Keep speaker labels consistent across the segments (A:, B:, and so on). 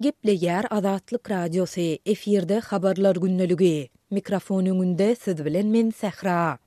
A: Gepleýär Azatlyk Radiosy, efirde Habarlar gündeligi. Mikrofon öňünde siz bilen men Sähra.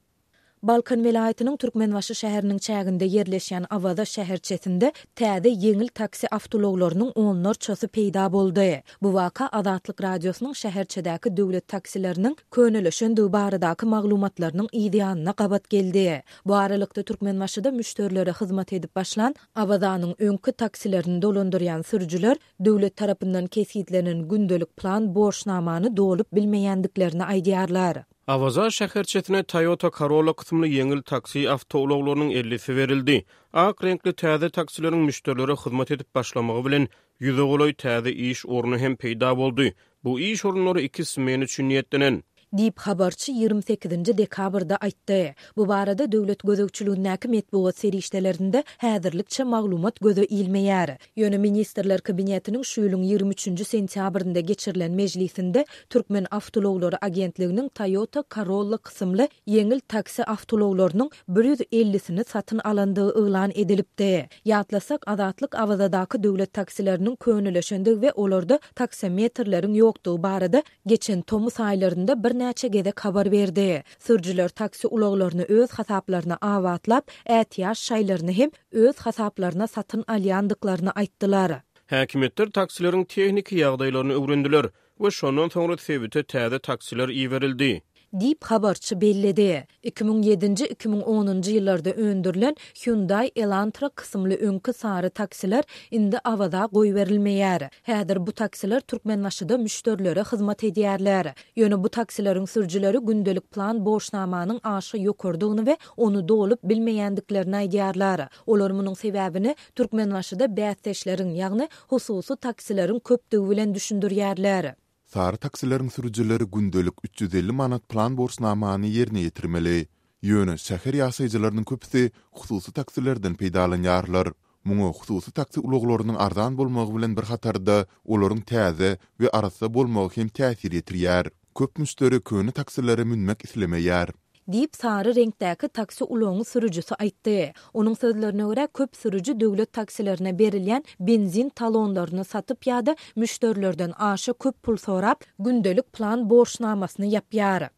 A: Balkan welaýatynyň Türkmenbaşy şäheriniň çäginde ýerleşýän Awaza şäherçesinde täze ýeňil taksi awtoulaglarynyň onlarçasy peýda boldy. Bu waka Azatlyk Radiosynyň şäherçedäki döwlet taksileriniň könelişendigi baradaky maglumatlarynyň yzýanyna gabat geldi. Bu aralykda Türkmenbaşyda müşderilere hyzmat edip başlan Awazanyň öňki taksilerini dolandyrýan sürüjiler döwlet tarapyndan kesgitlenen gündelik plan borçnamany dolup bilmeýändiklerini aýdýarlar.
B: Awaza şäherçesine Toyota Corolla kysymly ýeňil taksi awtoulaglarynyň ellisi berildi. Ak reňkli täze taksileriň müşderilere hyzmat edip başlamagy bilen, ýüze golaý täze iş orny hem peýda boldy. Bu iş orunlary iki smena üçin niýetlenen.
A: Diýip, habarçy 28-nji dekabrda aýtdy. Bu barada döwlet gözegçiligindäki metbugat serişdelerinde häzirlikçe maglumat göze ilmeýär. Ýöne Ministrler Kabinetiniň şu ýylyň 23-nji sentýabrynda geçirilen mejlisinde Türkmen awtoulaglary agentliginiň Toyota Corolla kysymly ýeňil taksi awtoulaglarynyň bir ýüz ellisini satyn alandygy yglan edilipdi. Ýatlasak, Azatlyk Awazadaky döwlet taksileriniň könelişendigi we olarda taksometrleriň ýokdugy barada geçen tomus aýlarynda birnäçe gezek habar berdi. Sürüjiler taksi ulaglaryny öz hasaplaryna abatlap, ätiýaç şaýlaryny hem öz hasaplaryna satyn alýandyklaryny aýtdylar.
B: Häkimiýetler taksileriň tehniki ýagdaýlaryny öwrendiler we şondan soňra sebite täze taksiler iberildi.
A: Diýip, habarçy belledi. 2007-nji, 2010-njy ýyllarda öndürilen Hyundai Elantra kysymly öňki sary taksiler indi Awaza goýberilmeýär. Häzir bu taksiler Türkmenbaşyda müşderilere hyzmat edýärler. Ýöne bu taksileriň sürüjileri gündelik plan borçnamanyň aşa ýokarydygyny we ony dolup bilmeýändiklerini aýdýarlar. Olar munuň sebäbini Türkmenbaşyda bäsdeşleriň, ýagny hususy taksileriň köpdügi bilen düşündirýärler.
C: Sary taksileriň sürüjileri gündelik 350 manat plan borçnamany ýerine ýetirmeli. Ýöne şäher ýaşaýjylarynyň köpüsi hususy taksilerden peýdalanýarlar. Muňa hususy taksi ulaglarynyň arzan bolmagy bilen bir hatarda, olaryň täze we arassa bolmagy hem täsir ýetirýär. Köp müşderi köne taksilere münmek islemeýär.
A: Diýip, sary reňkdäki taksi ulagyň sürüjisi aýtdy. Onuň sözlerine görä, köp sürüji döwlet taksilerine berilýän benzin talonlaryny satyp ýa-da müşderilerden aşa köp pul sorap, gündelik plan borçnamasyny ýapýar.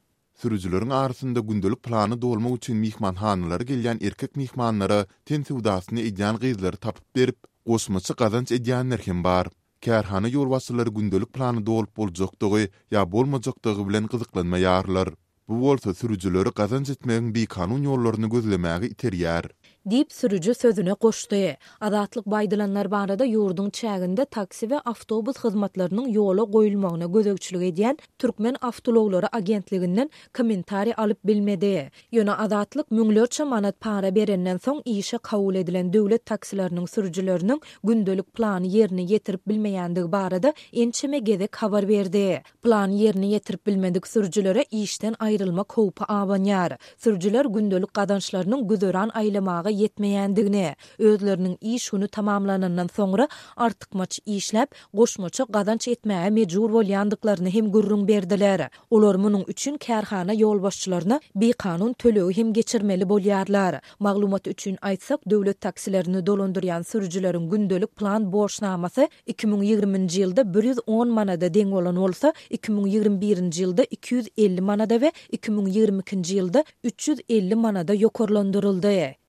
C: Sürüjileriň arasynda gündelik plany dolmak üçin myhmanhanalara gelýän erkek myhmanlara ten söwdasyny edýän gyzlary tapyp berip, goşmaça gazanç edýänler hem bar. Kärhana ýolbaşçylary gündelik plany dolup boljakdygy ýa bolmajakdygy bilen gyzyklanmaýarlar. Bu bolsa sürüjileri gazanç etmegiň bikanun ýollaryny gözlemäge iterýär.
A: Diýip, sürüji sözüne goşdy. Azatlyk bu aýdylanlar barada ýurduň çäginde taksi we awtobus hyzmatlarynyň ýola goýulmagyna gözegçilik edýän Türkmen awtoulaglary agentliginden kommentariý alyp bilmedi. Ýöne Azatlyk müňlerçe manat para berenden soň işe kabul edilen döwlet taksileriniň sürüjileriniň gündelik plany ýerine ýetirip bilmeýändigi barada ençeme gezek habar berdi. Plany ýerine ýetirip bilmedik sürüjilere işden aýrylmak howpy abanýar. Sürüjiler gündelik gazançlarynyň güzeran aýlamaga ýetmeýändigini, özleriniň iş güni tamamlanandan soňra artykmaç işläp, goşmaça gazanç etmäge mejbur bolýandyklaryny hem gürrüň berdiler. Olar munuň üçin kärhana ýolbaşçylaryna bikanun tölegi hem geçirmeli bolýarlar. Maglumat üçin aýtsak, döwlet taksilerini dolandyrýan sürüjileriň gündelik plan borçnamasy 2020-nji ýylda 110 manada deň bolan bolsa, 2021-nji ýylda 250 manada we 2022-nji ýylda 350 manada ýokarlandyryldy.